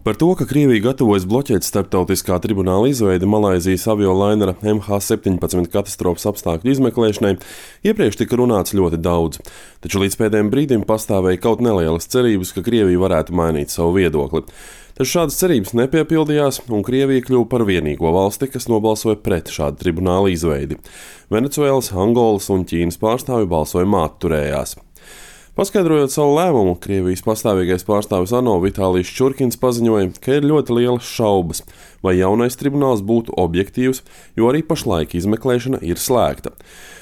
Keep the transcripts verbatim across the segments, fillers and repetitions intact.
Par to, ka Krievija gatavojas bloķēt starptautiskā tribunāla izveidi Malaizijas aviolainera M H septiņpadsmit katastrofas apstākļu izmeklēšanai, iepriekš tika runāts ļoti daudz, taču līdz pēdējiem brīdim pastāvēja kaut nelielas cerības, ka Krievija varētu mainīt savu viedokli. Taču šādas cerības nepiepildījās, un Krievija kļuva par vienīgo valsti, kas nobalsoja pret šādu tribunāla izveidi. Venecuēlas, Angolas un Ķīnas pārstāvji balsojumā atturējās. Paskaidrojot savu lēmumu, Krievijas pastāvīgais pārstāvis ANO Vitālijs Čurkins paziņoja, ka ir ļoti lielas šaubas, vai jaunais tribunāls būtu objektīvs, jo arī pašlaik izmeklēšana ir slēgta.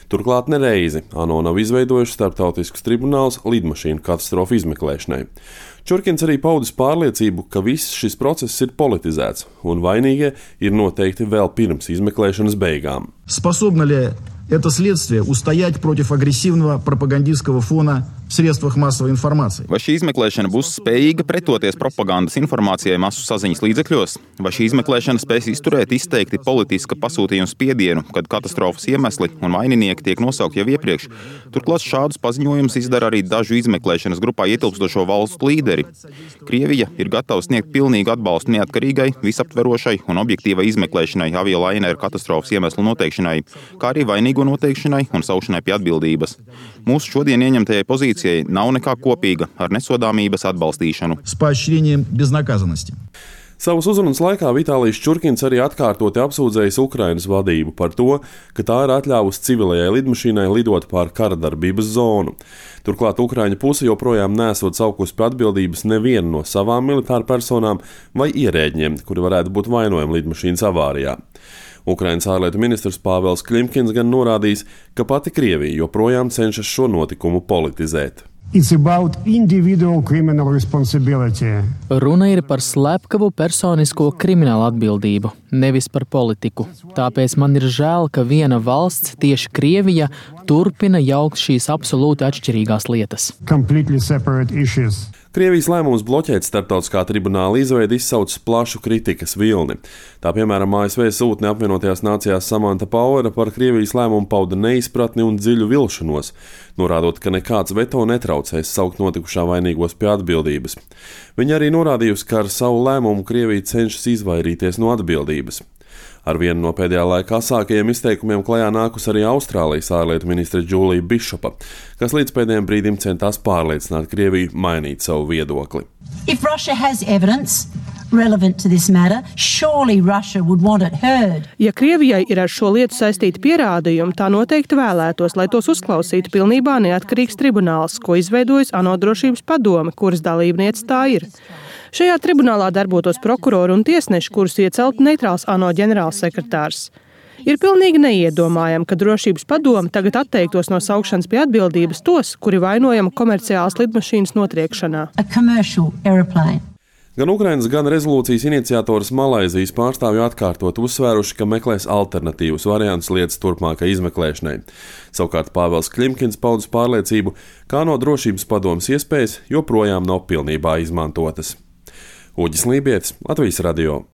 Turklāt nereizi ANO nav izveidojuši starptautiskus tribunālus lidmašīnu katastrofu izmeklēšanai. Čurkins arī paudis pārliecību, ka viss šis process ir politizēts, un vainīgie ir noteikti vēl pirms izmeklēšanas beigām. Способно ли это следствие устоять против агрессивного пропагандистского фона в средствах массовой информации? Vai šī izmeklēšana būs spējīga pretoties propagandas informācijai masu saziņas līdzekļos? Vai šī izmeklēšana spēs izturēt izteikti politiska pasūtījuma spiedienu, kad katastrofas iemesli un vaininieki tiek nosaukti jau iepriekš? Turklāt šādus paziņojumus izdara arī dažu izmeklēšanas grupā ietilpstošo valstu līderi. Krievija ir gatava sniegt pilnīgu atbalstu neatkarīgai, visaptverošai un objektīvai izmeklēšanai aviolainera katastrofas iemeslu noteikšanai, kā arī vainīgo noteikšanai un saukšanai pie atbildības. Mūsu šodien ieņemtajai pozīcijai nav nekā kopīga ar nesodāmības atbalstīšanu. Savas uzrunas laikā Vitālijs Čurkins arī atkārtoti apsūdzējis Ukrainas vadību par to, ka tā ir atļāvusi civilajai lidmašīnai lidot pār kara darbības zonu. Turklāt Ukraiņu puse joprojām nesot saukusi pie atbildības nevienu no savām militāru personām vai ierēģiem, kuri varētu būt vainojami lidmašīnas avārijā. Ukrainas ārlietu ministrs Pāvels Klimkins gan norādījis, ka pati Krievija joprojām cenšas šo notikumu politizēt. Runa ir par slepkavu personisko kriminālu atbildību, nevis par politiku. Tāpēc man ir žēl, ka viena valsts, tieši Krievija, turpina jaukt šīs absolūti atšķirīgās lietas. Krievijas lēmums bloķēt starptautiskā tribunāla izveidi izsaucis plašu kritikas vilni. Tā piemēram A S V sūtne apvienotajās nācijās Samanta Pauera par Krievijas lēmumu pauda neizpratni un dziļu vilšanos, norādot, ka nekāds veto netraucēs saukt notikušā vainīgos pie atbildības. Viņa arī norādījusi, ka ar savu lēmumu Krievija cenšas izvairīties no atbildības. Ar vienu no pēdējā laika asākajiem izteikumiem klajā nākus arī Austrālijas ārlietu ministre Džūlija Bišopa, kas līdz pēdējiem brīdim centās pārliecināt Krieviju mainīt savu viedokli. If Russia has evidence relevant to this matter, surely Russia would want it heard. Ja Krievijai ir ar šo lietu saistīti pierādījumi, tā noteikti vēlētos, lai tos uzklausītu pilnībā neatkarīgs tribunāls, ko izveidojas ANO drošības padome, kuras dalībniece tā ir. Šajā tribunālā darbotos prokurori un tiesneši, kurus ieceltu neitrāls ANO ģenerālsekretārs. Ir pilnīgi neiedomājami, ka drošības padome tagad atteiktos no saukšanas pie atbildības tos, kuri vainojami komerciālas lidmašīnas notriekšanā. Gan Ukrainas, gan rezolūcijas iniciators Malaizijas pārstāvji atkārtot uzsvēruši, ka meklēs alternatīvus variantus lietas turpmākai izmeklēšanai. Savukārt Pāvels Klimkins paudis pārliecību, ka ANO drošības padomes iespējas joprojām nav pilnībā izmantotas. Uģis Lībietis, Latvijas radio.